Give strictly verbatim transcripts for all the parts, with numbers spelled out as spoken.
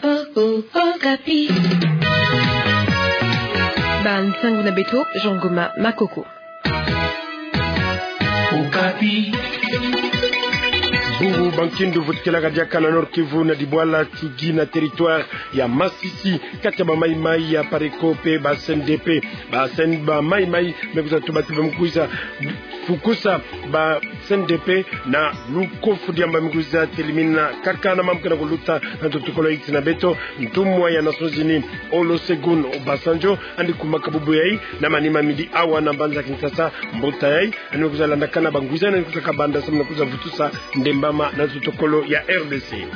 Oh, oh, Okapi. Bansango na beto, Jean Goma Makoko. Okapi. Bubu bankindu vutukilaka diaka na Nord-Kivu na Dibwala, Tchouguy na territoire ya Masisi, kati ya ba Maï-Maï ya Pareko pe ba C N D P. Ba C N D P, ba Maï-Maï, me kwiza tuba ti ba me kwiza fukusa ba C N D P na lukofu, diambu ba me kwiza telimina kaka na mambu ke na kuluta na ntu tukolo. Iti na beto, ntumwa ya Nations Unies, Olusegun Obasanjo, andi kumaka bubu yayi na manima midi awa na mbanza Kinshasa, mbuta yayi andi me kwiza landakana ba ngwiza na kwiza kabanda samu na kwiza vutusa ndembama na ntu tukolo ya R D C.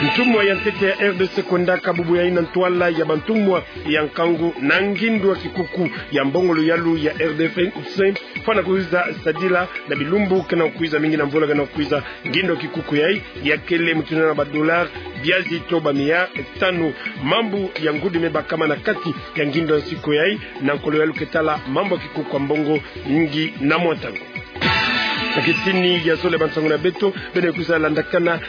Ntumwa ya ntete ya R D C kwendaka bubu yayi na ntwala ya bantumwa ya nkangu na ngindo ya kikuku ya mbongo luyalu ya R D F C, fwana kwiza sadila na bilumbu ke na kwiza, mingi na mvula ke na kwiza. Ngindo ya kikuku yayi yakele mutindu na ba dollars biazi to ba mia tanu. Mambu ya ngudi me bakama na kati ya ngindo ya nsiku yayi, na nkolo yalu ke tala mambu ya kikuku ya mbongo mingi na mwa ntangu. Na kitini ya zole, bansango na beto, beno kwiza landakana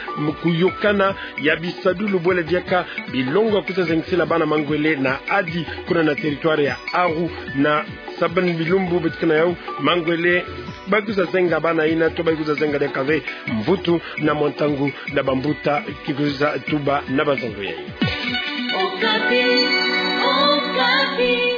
kuyokana ya bisadulu bwele diaka bilongo ya kwiza zengisela bana mangwele na Adi, kuna na territoire ya Aru, na sabani bilumbu beto ke na yau, mangwele ba kwiza zenga bana yina, to ba kwiza zenga diaka ve mvutu na mwa ntangu na bambuta ke kwiza tuba na bansango yayi. Okapi, Okapi.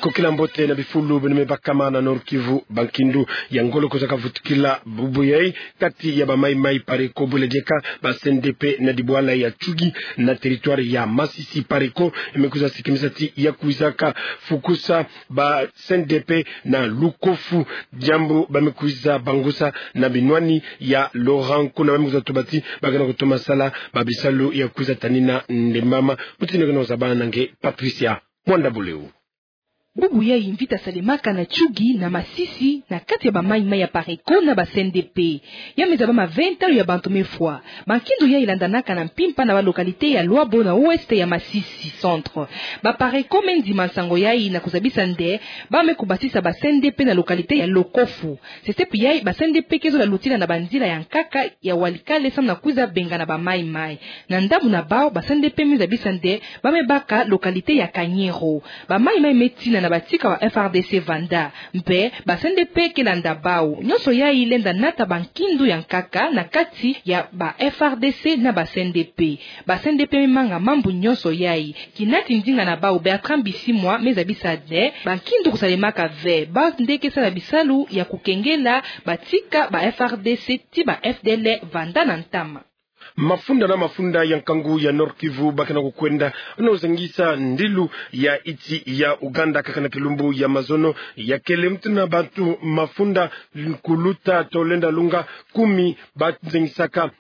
Kokila mbote na bifulu beno me bakama na Nord-Kivu, bankindu ya ngolo kwiza kavutukila bubu yayi kati ya ba Maï-Maï Pareko bwele diaka ba C N D P na Dibwala ya Tchouguy na territoire ya Masisi. Pareko me kwiza sikimisa ti ya kwiza kafukusa ba C N D P na lukofu, diambu ba me kwiza bangusa na binwani ya Laurent, kuna ba me kwiza tuba ti ba ke na kutoma sala ba bisalu ya kwiza tanina ndembama. Mutindu ke na kuzabana na nge, Patricia Mwanda Buleu. Bubu yayi mvita salemaka na Tchouguy na Masisi, na kati ya ba Maï-Maï ya Pareko na ba C N D P. Ya me zaba ma ve ntalu ya bantu me fwa. Bankindu yayi landanaka na mpimpa na ba localité ya Loabo na ouest ya Masisi centre. Ba Pareko me ndima nsango yayi na kuzabisa nde ba me kubasisa ba C N D P na localité ya Lokofu. Sesepi yayi, ba C N D P ke zola lutila na banzila ya nkaka ya walikale samu na kwiza bengana ba Maï-Maï. Na ndambu na bau, ba C N D P me zabisa nde ba me baka localité ya Kanyero. Ba Maï-Maï me tina na batika ba F R D C vanda. Mpe ba C N D P ke landa bau. Nyonso yayi lenda nata bankindu ya nkaka na kati ya ba F R D C na ba C N D P. Ba C N D P me manga mambu nyonso yayi. Kina ti ndinga na bau Bertrand Bisimwa me zabisa nde bankindu kusalemaka ve, bau nde ke sala bisalu ya kukengela batika ba F R D C ti ba F D L R vanda na ntama. Mafunda na mafunda ya nkangu ya Nord-Kivu ba ke na kukwenda na kuzengisa ndilu ya iti ya Ouganda, kaka na kilumbu ya mazono yakele. Mutindu na bantu mafunda kuluta to lenda lunga kumi ba zengisaka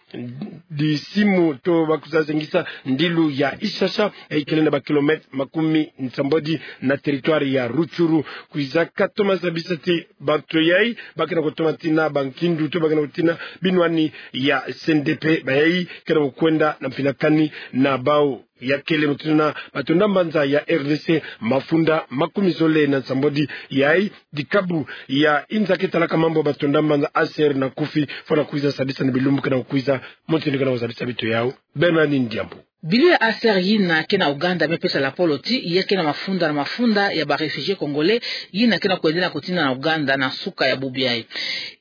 disimu to ba kwiza zengisa ndilu ya Ishasha, eh, ikele na ba kilomètre makumi nsambwadi na territoire ya Rutshuru. Kwiza katoma zabisa ti bantu yayi ba ke na kutoma tina bankindu to ba ke na kutina binwani ya C N D P, bayayi ke na kukwenda na mpinakani na bau yakele. Mutindu na batonda mbanza ya R D C, mafunda makumi zole na nsambwadi yayi, dikabu ya inza ke talaka mambu ya batonda mbanza H C R na Kufi, fwana kwiza zabisa na bilumbu ke na kukwiza. Mutindu ke na kuzabisa beto yau, Bernardine Diambu. Bilu ya H C R yina ke na Ouganda me pesa lapolo ti ya ke na mafunda na mafunda ya ba réfugiés congolais yina ke na kwenda na kutina na Ouganda na suka ya bubu yayi.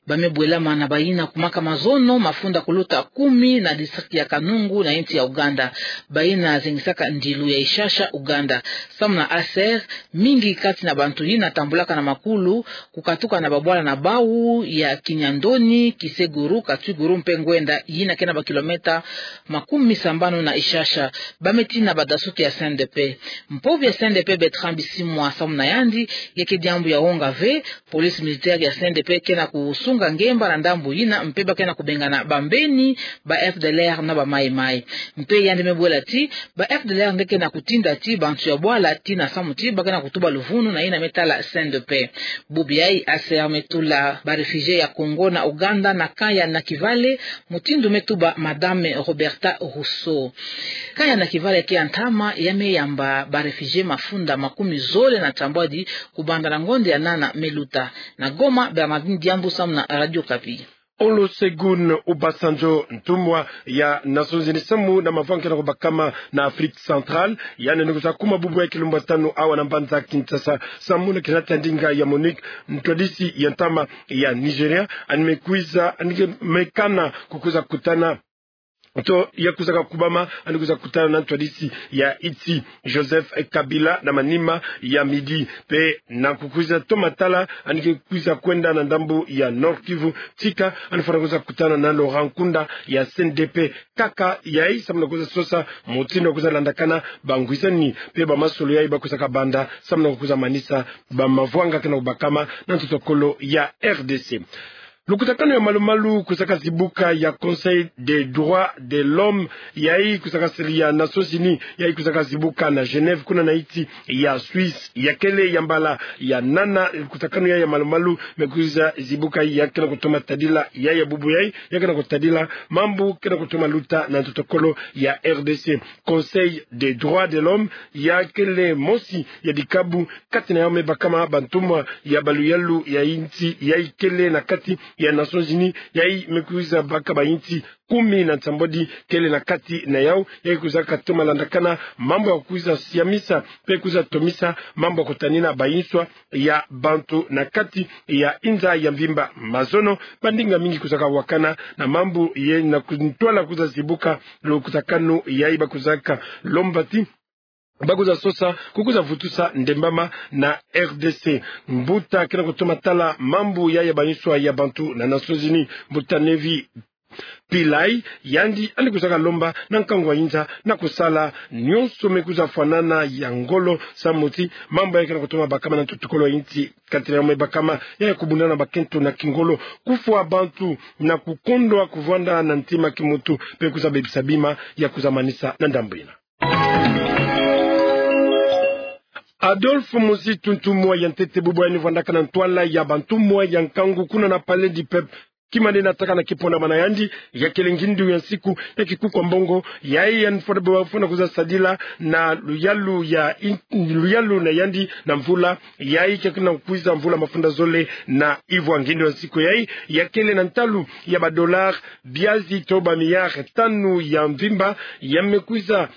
Ba me bwelama na bayina kumaka mazono mafunda kuluta kumi na district ya Kanungu na insi ya Ouganda. Bayina zengisaka ndilu ya Ishasha, Ouganda. Samu na H C R, mingi kati na bantu yina tambulaka na makulu kukatuka na babwala na bau ya Kinyandoni, Kiseguru, Katwiguru mpe Ngwenda, yina ke na ba kilomètre makumi sambanu na Ishasha. Ba me tina badasuki ya C N D P. Mpovi ya C N D P Bertrand Bisimwa, samu na yandi, ya ke diambu ya wonga ve. Police militaire ya C N D P ke na kusunga ngemba na ndambu yina, mpe ba ke na kubengana bambeni ba F D L R na ba Maï-Maï. Mpe yandi me bwela ti ba F D L R nde ke na kutinda ti bantu ya bwala tina samu ti ba ke na kutuba luvunu na yina me tala C N D P. Bubu yayi H C R me tula ba réfugiés ya Congo na Ouganda na camp ya Nakivale, mutindu me tuba Madame Roberta Rousseau. Camp ya Nakivale ke ya ntama, ya me yamba ba réfugiés mafunda makumi zole na nsambwadi kubanda na ngonda ya nana me luta. Na Goma, Bernardine Diambu samu na Radio Okapi. Olusegun Obasanjo, ntumwa ya Nations Unies samu na mavanga ke na kubakama na Afrique Centrale, yandi ni kwiza kuma bubu ya kilumbwa tanu awa na mbanza Kinshasa samu na kinata ndinga ya MONUC, ntwadisi ya ntama ya Nigeria, yandi me kwiza, yandi me kana kukwiza kutana to ya kwizaka kubama, yandi kwiza kutana na ntwadisi ya insi Joseph Kabila na manima ya midi. Mpe na kukwiza toma tala, yandi ke kwiza kwenda na ndambu ya Nord-Kivu, tika yandi fwana kwiza kutana na Laurent Nkunda ya C N D P. Kaka yayi samu na kwiza sosa mutindu ya kwiza landakana bangwisani mpe bamasolo yayi ba kwizaka banda samu na kwiza manisa bamavanga ke na kubakama na ntotokolo ya R D C. Lukutakanu ya malu-malu kwizaka zibuka ya Conseil des droits de l'homme, yayi kwizaka siri ya Nations Unies, yayi kwizaka zibuka na Genève, kuna na insi ya Suisse. Ya kele ya mbala ya nana lukutakanu yayi ya malu-malu me kwiza zibuka, ya ke na kutoma tadila yayi ya bubu yayi, ya ke na kutadila mambu ke na kutoma luta na ntotokolo ya R D C. Conseil des droits de l'homme, ya kele mosi ya dikabu kati na yawu me bakama bantumwa ya baluyalu ya insi yayi kele na kati ya Nations Unies, yayi me kwiza baka bainsi kumi na nsambwadi kele na kati na yawu, yayi kwizaka toma landakana mambu ya kwiza siamisa mpe kwiza tomisa mambu ya kutanina banswa ya bantu na kati ya inza ya mvimba. Mazono, bandinga mingi kwizaka wakana na mambu yayi na ku-, ntwala kwiza zibuka lukutakanu yayi, ba kwizaka lomba ti ba kwiza sosa kukwiza vutusa ndembama na R D C. Mbuta ke na kutoma tala mambu yayi ya banswa ya bantu na Nations Unies, Mbuta Nevi Pillay, yandi, yandi kwizaka lomba na nkangu wa inza na kusala nyonso me kwiza fwanana ya ngolo samu ti mambu yayi ke na kutoma bakama na ntotokolo ya insi kati na yawu me bakama, ya kubundana bakento na kingolo, kufwa bantu na kukondwa kuvwanda na ntima kimuntu, mpe kwiza bebisa bima ya kwiza manisa na ndambu yina. Adolphe Muzitu, ntumwa ya ntete bubu yandi vwandaka na ntwala ya bantumwa ya nkangu kuna na Palais du Peuple, kima nde nataka na kipona mana yandi, ya kele ngindu ya nsiku ya kikuku ya mbongo, yayi yandi fwana, fwana kwiza sadila na luyalu ya in-, luyalu na yandi na mvula yayi ke na kwiza mvula mafunda zole na ivwa. Ngindu ya nsiku yayi ya kele na ntalu ya ba dollars biazi to ba milliards tanu ya mvimba, ya me kwiza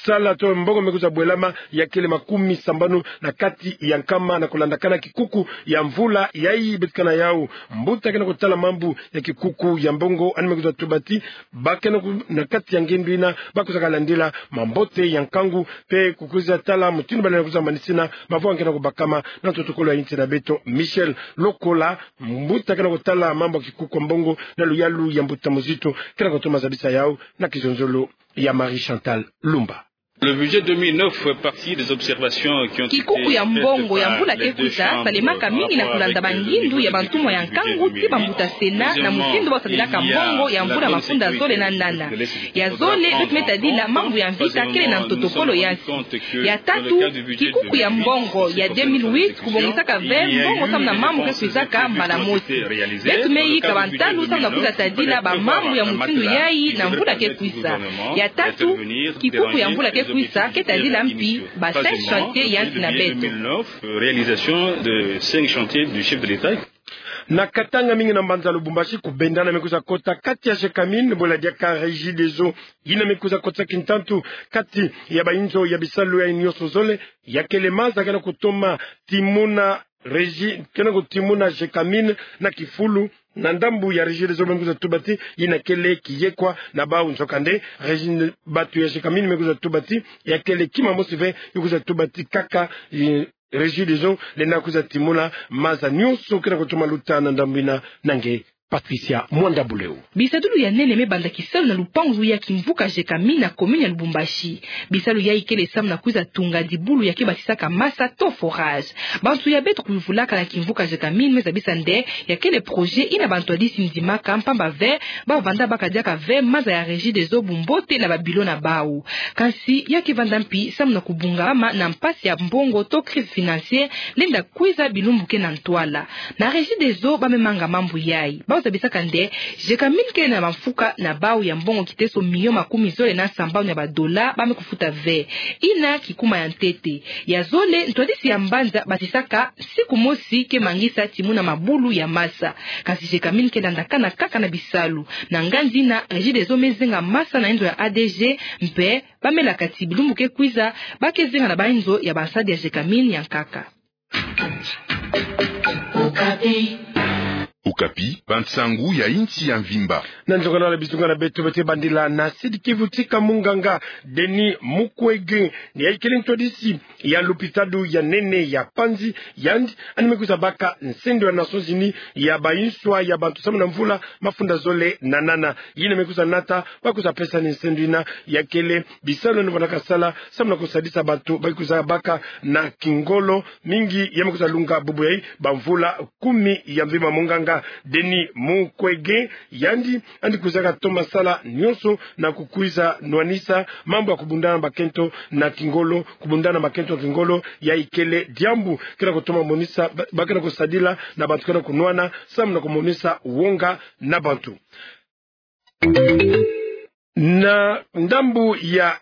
sala to mbongo me kwiza bwelama ya kele makumi sambanu na kati ya nkama na kulandakana kikuku ya mvula yayi betikana yawu. Mbuta ke na kutala mambu ya kikuku ya mbongo yandi me kwiza tuba ti ba ke na ku-, na kati ya ngindu yina ba kwizaka landila mambote ya nkangu mpe kukwiza tala mutindu ba lenda kwiza manisina mavanga ke na kubakama na ntotokolo ya insi na beto. Michel Lokola, mbuta ke na kutala mambu ya kikuku ya mbongo na luyalu ya Mbuta Muzitu, ke na kutoma zabisa yawu na kizonzolo ya Marie Chantal Lumba. Le budget deux mille neuf fait partie des observations qui ont été faites par les chambres. Kikuku ya mbongo ya mvula ke kwiza salemaka mingi na kulanda bangindu ya bantumwa ya nkangu ti bambuta Sénat na mutindu ba kusadilaka mbongo ya mvula mafunda zole na nana. Ya zole, beto me tadila mambu ya mvita kele na ntotokolo ya nsi. Ya tatu, kikuku ya mbongo ya deux mille huit kubongisaka ve mbongo samu na mambu ke kwizaka mbala mosi. Beto me yika bantalu samu na kwiza tadila bamambu ya mutindu yayi na mvula ke kwisa. Ya tatu, kikuku ya mvula ke kwisa ke tadila mpi ba cinq chantiers ya nsi na beto. Réalisation de cinq chantiers du chef de l'État. Na Katanga, mingi na mbanza Lubumbashi, kubendana me kwiza kota kati ya Gécamines bwela diaka Regideso, yina me kwiza kotisa kintantu kati ya bayinzo ya bisalu ya nyonso zole. Ya kele maza ke na kutoma timuna Régi-, ke na kutimuna Gécamines na kifulu. Na ndambu ya Regideso me kwiza tuba ti yina kele kiyekwa na bawu, nzokande Régi-, batu ya Gécamines me kwiza tuba ti ya kele kima mosi ve, yo kwiza tuba ti kaka, eh, Regideso lenda kwiza timuna maza nyonso ke na kutoma luta na ndambu yina. Na nge Patricia Mwanda Buleu. Bisadulu ya nene me banda kisalu na lupangu ya kimvuka Gécamines na commune ya Lubumbashi. Bisalu yayi kele samu na kwiza tunga dibulu ya ke batisaka masa to forage. Bantu ya beto kuyuvulaka na kimvuka Gécamines me zabisa nde ya kele projet yina bantu ya disi ndimaka, mpamba ve ba vanda baka diaka ve maza ya Regideso bumbote na ba bureaux na bawu. Kansi ya ke vanda mpi samu na kubungama na mpasi ya mbongo to crise financière lenda kwiza bilumbu ke na ntwala. Na Regideso ba me manga mambu yayi. zabisaka nde Gécamines kele na bamfuka na bau ya mbongo kiteso milion makumi zole na sambanu ya badola ba me kufuta ve. Ina kikuma ya ntete. Ya zole, ntwadisi ya mbanza batisaka nsiku mosi ke mangisa timuna mabulu ya masa. Kasi Gécamines ke landakana kaka na bisalu. Na nganzi ina, Regideso me zenga masa na inzo ya A D G, mpe ba me laka ti bilumbu ke kwiza, ba ke zenga na bainzo ya bansadi ya Gécamines ya nkaka. Okapi, bansangu ya insi ya mvimba. Na nzonga na bizunga na beto, beto bandila na Sud-Kivu, tika munganga Denis Mukwege, ni yayi kele ntwadisi ya lupitalu ya nene ya Panzi, yandi yandi me kwiza baka nsendo ya Nations Unies ya banswa ya bantu samu na mvula mafunda zole na nana. Yina me kwiza nata, ba kwiza pesa ni nsendo ina, ya kele bisalu yandi vandaka sala samu na kusadisa bantu ba kwiza baka na kingolo mingi ya me kwiza lunga bubu yayi bamvula kumi ya mvimba. Munganga Denis Mukwege, yandi yandi kwizaka toma sala nyonso na kukwiza nwanisa mambu ya kubundana bakento na kingolo, kubundana bakento na kingolo, yayi kele diambu ke na kutoma monisa, ba, ba ke na kusadila na bantu ke na kunwana, samu na kumonisa wonga na bantu. Na ndambu ya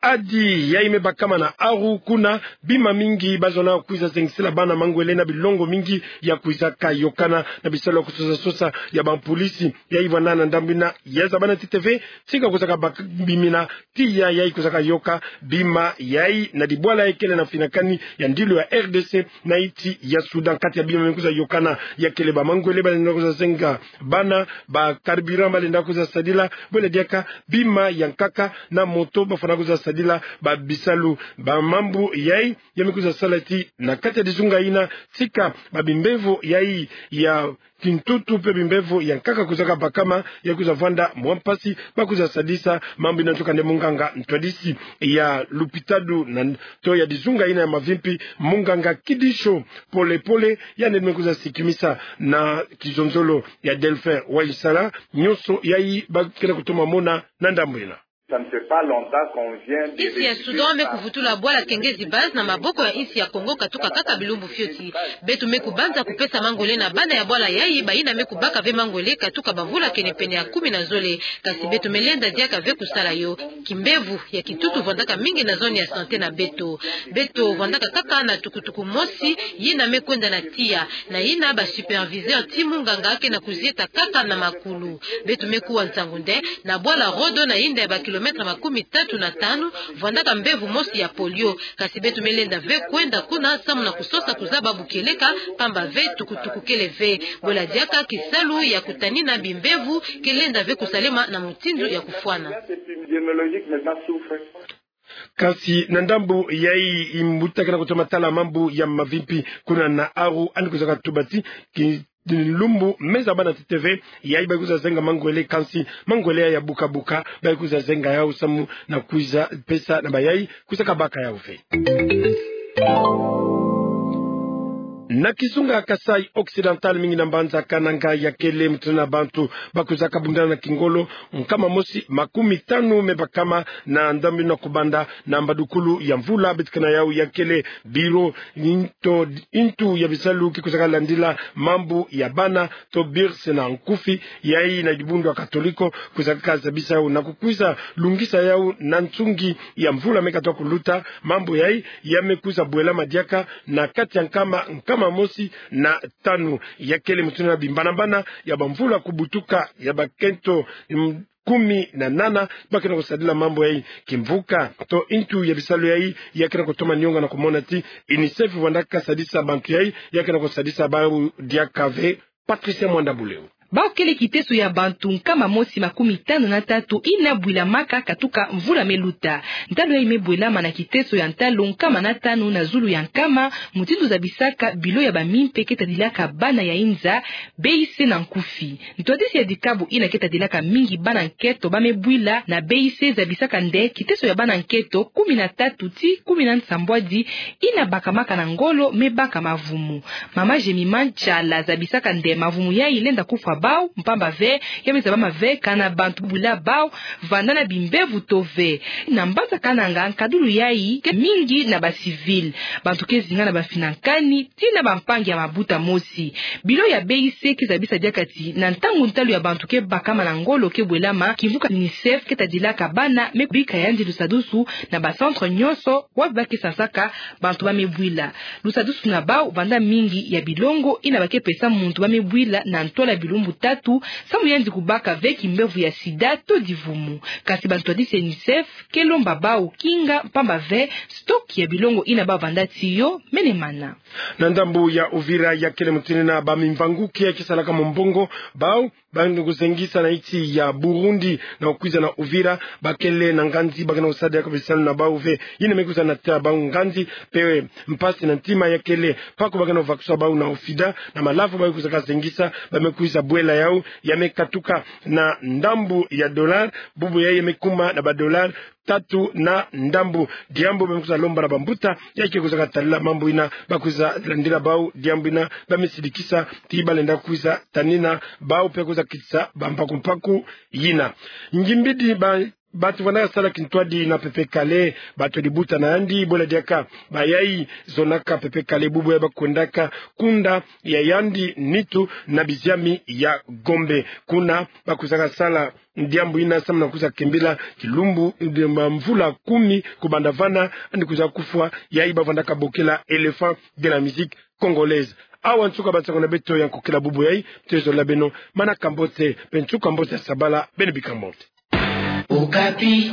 Adi yayi me bakama na Aru, kuna bima mingi ba zonza kwiza zengisila bana mangwele na bilongo mingi ya kwizaka yokana na bisalu ya kusosa-sosa ya bampolisi. Yayi vwanda na ndambu ina ya zabana ti T V, tika kwizaka baka bima ina, tiya yayi kwizaka yoka bima yayi na dibwala yayi kele na mfinakani ya ndilu ya R D C na insi ya Soudan. Kati ya bima me kwiza yokana, ya kele bamangwele ba lenda kwiza zenga bana, ba carburant ba lenda kwiza sadila, bwela diaka bima ya nkaka na moto ba fwana kwiza sadila ba bisalu. Bamambu yayi ya me kwiza sala ti na kati ya dizunga ina, tika babimbevo yayi ya kintutu mpe bimbevo ya nkaka kwizaka bakama, ya kwiza vwanda mwa mpasi ba kwiza sadisa mambu ina. Ntuka nde munganga ntwadisi ya lupitalu na, to ya dizunga ina ya mavimpi, munganga Kidisho Pole Pole, yandi me kwiza sikimisa na kizonzolo ya Delphin Waisala nyonso yayi ba ke na kutoma mona na ndambu ina. Ça ne fait pas longtemps qu'on vient de... Insi ya Soudan me kuvutula bwala Kengezi Base na maboko ya insi ya Congo katuka kaka bilumbu fioti. Beto me kubanza kupesa mangwele na bana ya bwala yayi, bayina me kubaka ve mangwele katuka bamvula kene pene ya kumi na zole. Kasi beto me lenda diaka ve kusala yo. Kimbevo ya kintutu vwandaka mingi na zone ya santé na beto. Beto vwandaka kaka na tukutuku mosi, yina me kwenda na tiya, na yina basuperviseur ti munganga ke na kuzieta kaka na makulu. Beto me kuwa nsangu nde na bwala Rodo, na yinda ya bakilometre makumi tatu na tanu, vwandaka mbevo mosi ya polio. Kasi beto me lenda ve kwenda kuna samu na kusosa kuzaba bu kieleka, pamba ve tukutuku kele ve. Bwela diaka kisalu ya kutanina bimbevo ke lenda ve kusalema na mutindu ya kufwana. Kasi na ndambu yayi, mbuta ke na kutoma tala mambu ya mavimpi kuna na Aru, yandi kwizaka tuba ti kilumbu me zabana ti T V yayi ba kwiza zenga mangwele, kansi mangwele ya buka-buka ba kwiza zenga yau samu na kwiza pesa na bayayi kwizaka baka yau ve. Na kizunga Kasaï Occidental, mingi na mbanza Kananga, ya kele mutindu na bantu ba kwizaka bundana na kingolo, nkama mosi makumi tanu me bakama na ndambu ina kubanda na mbadukulu ya mvula betikana yau. Ya kele biro into, intu ya bisalu ke kwizaka landila mambu ya bana, to birse na nkufi, yayi na dibundu ya Katoliko kwizaka zabisa yau na kukwiza lungisa yau na nsungi ya mvula me katuka kuluta. Mambu yayi ya me kwiza bwelama diaka na kati ya nkama, nkama mosi na tanu. Ya kele mutindu na bimbana-mbana ya bamvula kubutuka ya bakento, mm, kumi na nana ba ke na kusadila mambu yayi. Kimvuka to intu ya bisalu yayi ya ke na kutoma nionga na kumona ti UNICEF vwandaka sadisa bantu yayi, ya ke na kusadisa bau diaka ve. Patricia Mwanda Buleu. Bau kele kiteso ya bantu nkama mosi makumi tanu na tatu ina bwilamaka katuka mvula me luta. Ntalu yayi me bwelama na kiteso ya ntalu nkama na tanu na zulu ya nkama, mutindu zabisaka bilo ya bamimpe ke tadilaka bana ya inza, B I C na nkufi. Ntwadisi ya dikabu ina ke tadilaka mingi bana nketo ba me bwila na B I C zabisaka nde kiteso ya bana nketo kumi na tatu ti kumi na nsambwadi ina bakamaka na ngolo me baka mavumu. Mama Jemima Nchala zabisaka nde mavumu yayi lenda kufwa bau, mpamba ve ya me zabama ve kana bantu bwila bau vanda na bimbevo to ve. Na mbanza Kananga, nkadulu yayi ke mingi na ba civil. Bantu ke zinga na bafina nkani ti na bampangi ya mabuta mosi. Bilo ya B I C ke zabisa diaka ti na ntangu ntalu ya bantu ke bakama na ngolo ke bwelama, kimvuka UNICEF ke tadilaka bana me bika yandi lusadusu na ba centre nyonso wapi ba ke sansaka bantu ba me bwila. Lusadusu na bau vanda mingi ya bilongo yina ba ke pesa muntu ba me bwila na ntwala bilumbu tatu, samu yandi kubaka ve kimbevo ya sida to divumu. Kasi bantwadisi ya UNICEF ke lomba bau kinga, mpamba ve stock ya bilongo yina bau vanda ti yo menemana. Na ndambu ya Uvira, ya kele mutindu na ba mimvangu ke ya ke salaka mombongo, bau ba yandi kuzengisa na insi ya Burundi na kukwiza na Uvira, ba kele na nganzi, ba ke na kusala diaka bisalu na bau ve. Yina me kwiza nata bau nganzi, mpe mpasi na ntima ya kele. Mpaku ba ke na kuvakusa bau na OFIDA, na malavu ba ke kwiza kazengisa, ba me kwiza bwela yau, ya me katuka na ndambu ya dollar, bubu yayi ya me kuma na ba dollar tatu na ndambu. Diambu ba me kwiza lomba na bambuta ya ke kwiza katalila mambu yina, ba kwiza landila bau diambu yina, ba me sidikisa ti ba lenda kwiza tanina bau mpe kwiza kitisa bambaku mpaku yina. Ngimbidi ba, bantu ba na sala kintwadi na pepe kale, bantu dibuta na yandi, bwela diaka ba yayi zonaka pepe kale, bubu yayi ba kwendaka kunda ya yandi nitu na biziami ya Gombe. Kuna ba kwiza kasala diambu yina samu na kwiza kembila kilumbu, eh, ma mvula kumi kubanda vana, yandi kwiza kufwa, yayi ba vandaka bokela éléphant de la musique congolaise. Awa nsuka ba nsangu na beto ya nkokila bubu yayi, beto zolila beno manaka mbote, mpe nsuka mbote ya sabala, beno bika mbote. Okapi.